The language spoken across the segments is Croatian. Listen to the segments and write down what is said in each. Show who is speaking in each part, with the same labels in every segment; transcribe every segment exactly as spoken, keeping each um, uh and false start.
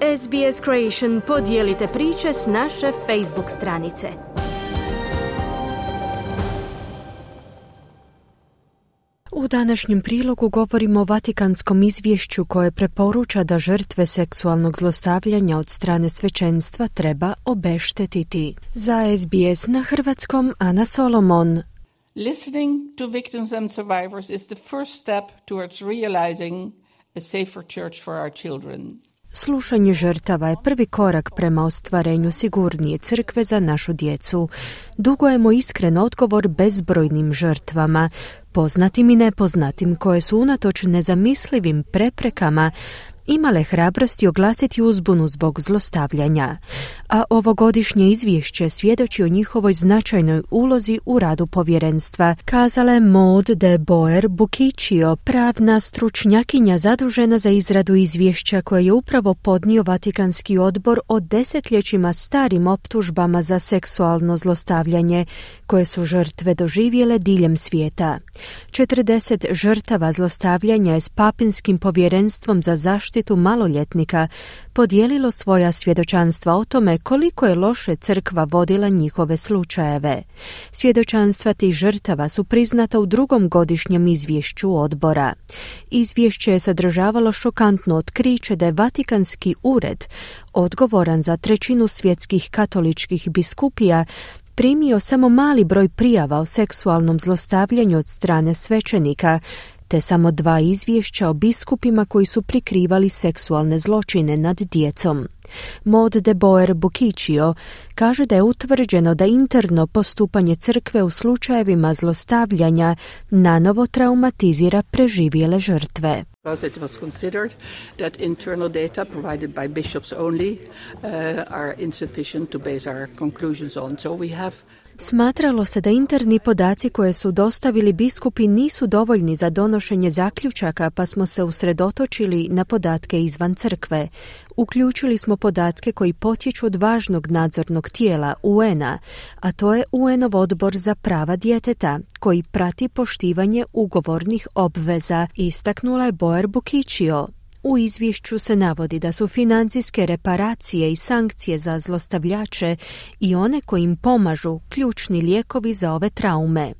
Speaker 1: S B S Creation podijelite priče s naše Facebook stranice. U današnjem prilogu govorimo o Vatikanskom izvješću koje preporuča da žrtve seksualnog zlostavljanja od strane svećenstva treba obeštetiti. Za S B S na hrvatskom Ana Solomon.
Speaker 2: Listening to victims and survivors is the first step towards realizing a safer church for our children.
Speaker 1: Slušanje žrtava je prvi korak prema ostvarenju sigurnije crkve za našu djecu. Dugujemo iskren odgovor bezbrojnim žrtvama, poznatim i nepoznatim, koje su unatoč nezamislivim preprekama imale hrabrosti oglasiti uzbunu zbog zlostavljanja, a ovogodišnje izvješće svjedoči o njihovoj značajnoj ulozi u radu povjerenstva, kazala je Maud de Boer Buciccio, pravna stručnjakinja zadužena za izradu izvješća koje je upravo podnio Vatikanski odbor o desetljećima starim optužbama za seksualno zlostavljanje koje su žrtve doživjele diljem svijeta. četrdeset žrtava zlostavljanja je s papinskim povjerenstvom za zaštitu maloljetnika podijelilo svoja svjedočanstva o tome koliko je loše crkva vodila njihove slučajeve. Svjedočanstva tih žrtava su priznata u drugom godišnjem izvješću odbora. Izvješće je sadržavalo šokantno otkriće da je Vatikanski ured, odgovoran za trećinu svjetskih katoličkih biskupija, primio samo mali broj prijava o seksualnom zlostavljanju od strane svećenika, te samo dva izvješća o biskupima koji su prikrivali seksualne zločine nad djecom. Maud de Boer Buciccio kaže da je utvrđeno da interno postupanje crkve u slučajevima zlostavljanja nanovo traumatizira preživjele žrtve.
Speaker 2: Because it was considered that internal data provided by bishops only uh, are insufficient to base our conclusions on. So we have
Speaker 1: Smatralo se da interni podaci koje su dostavili biskupi nisu dovoljni za donošenje zaključaka, pa smo se usredotočili na podatke izvan crkve. Uključili smo podatke koji potječu od važnog nadzornog tijela U N-a, a to je U N-ov odbor za prava djeteta, koji prati poštivanje ugovornih obveza, istaknula je Boer Buciccio. U izvješću se navodi da su financijske reparacije i sankcije za zlostavljače i one koji im pomažu ključni lijekovi za ove traume.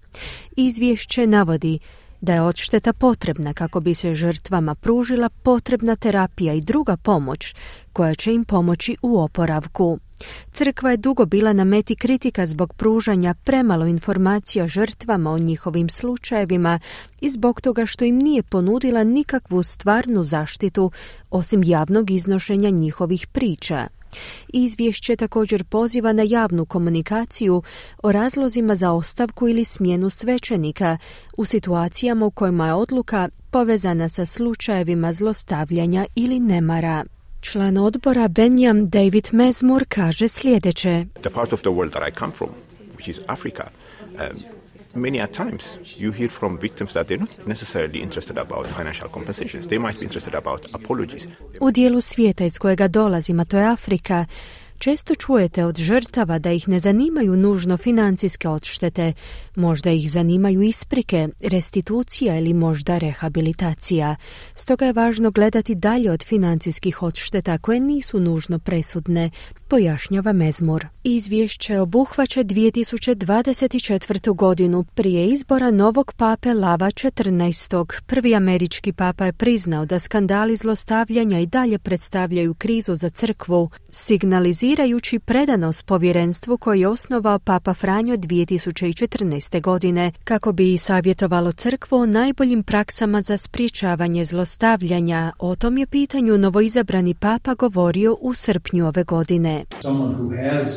Speaker 1: Izvješće navodi da je odšteta potrebna kako bi se žrtvama pružila potrebna terapija i druga pomoć koja će im pomoći u oporavku. Crkva je dugo bila na meti kritika zbog pružanja premalo informacija žrtvama o njihovim slučajevima i zbog toga što im nije ponudila nikakvu stvarnu zaštitu osim javnog iznošenja njihovih priča. Izvješće također poziva na javnu komunikaciju o razlozima za ostavku ili smjenu svećenika u situacijama u kojima je odluka povezana sa slučajevima zlostavljanja ili nemara. Član odbora Benjam David Mezmur kaže sljedeće.
Speaker 3: The part of the world that I come from, which is Africa, um, many a times you hear from victims that they're not necessarily interested about financial compensations. They might be interested about apologies.
Speaker 1: U dijelu svijeta iz kojega dolazim, a to je Afrika, često čujete od žrtava da ih ne zanimaju nužno financijske odštete, možda ih zanimaju isprike, restitucija ili možda rehabilitacija. Stoga je važno gledati dalje od financijskih odšteta koje nisu nužno presudne, pojašnjava Mezmur. Izvješće obuhvaća dvije tisuće dvadeset četvrtu. godinu prije izbora novog pape Lava četrnaestog. Prvi američki papa je priznao da skandali zlostavljanja i dalje predstavljaju krizu za crkvu, signalizirajući predanost povjerenstvu koji je osnovao papa Franjo dvije tisuće četrnaeste. godine kako bi i savjetovalo crkvu o najboljim praksama za sprječavanje zlostavljanja. O tom je pitanju novoizabrani papa govorio u srpnju ove godine.
Speaker 4: Someone who has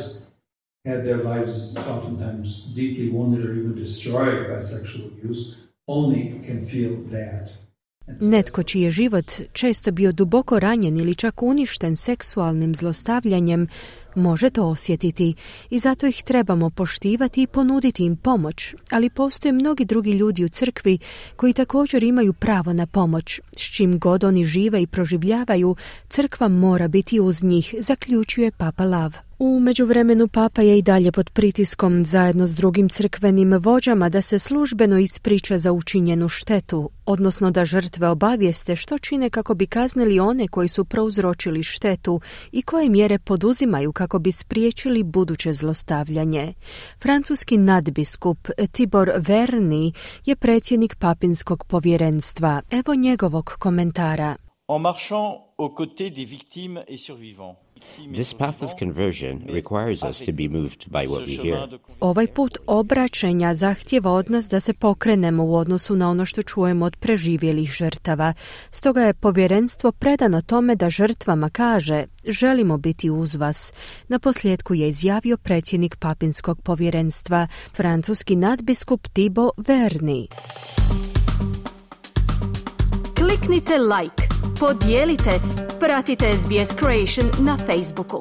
Speaker 4: had their lives oftentimes deeply wounded or even destroyed by sexual abuse only can feel that.
Speaker 1: Netko čiji je život često bio duboko ranjen ili čak uništen seksualnim zlostavljanjem može to osjetiti i zato ih trebamo poštivati i ponuditi im pomoć, ali postoje mnogi drugi ljudi u crkvi koji također imaju pravo na pomoć. S čim god oni žive i proživljavaju, crkva mora biti uz njih, zaključuje Papa Lav. U međuvremenu Papa je i dalje pod pritiskom zajedno s drugim crkvenim vođama da se službeno ispriča za učinjenu štetu, odnosno da žrtve obavijeste što čine kako bi kaznili one koji su prouzročili štetu i koje mjere poduzimaju kako bi spriječili buduće zlostavljanje. Francuski nadbiskup Tibor Verny je predsjednik papinskog povjerenstva. Evo njegovog komentara.
Speaker 5: En marchant aux côtés des victimes et survivants.
Speaker 6: This path of conversion requires us to be moved by what we hear.
Speaker 1: Ovaj put obraćenja zahtjeva od nas da se pokrenemo u odnosu na ono što čujemo od preživjelih žrtava. Stoga je povjerenstvo predano tome da žrtvama kaže: želimo biti uz vas. Na posljedku je izjavio predsjednik papinskog povjerenstva, francuski nadbiskup Thibaut Verny.
Speaker 7: Kliknite like, podijelite, pratite S B S Creation na Facebooku.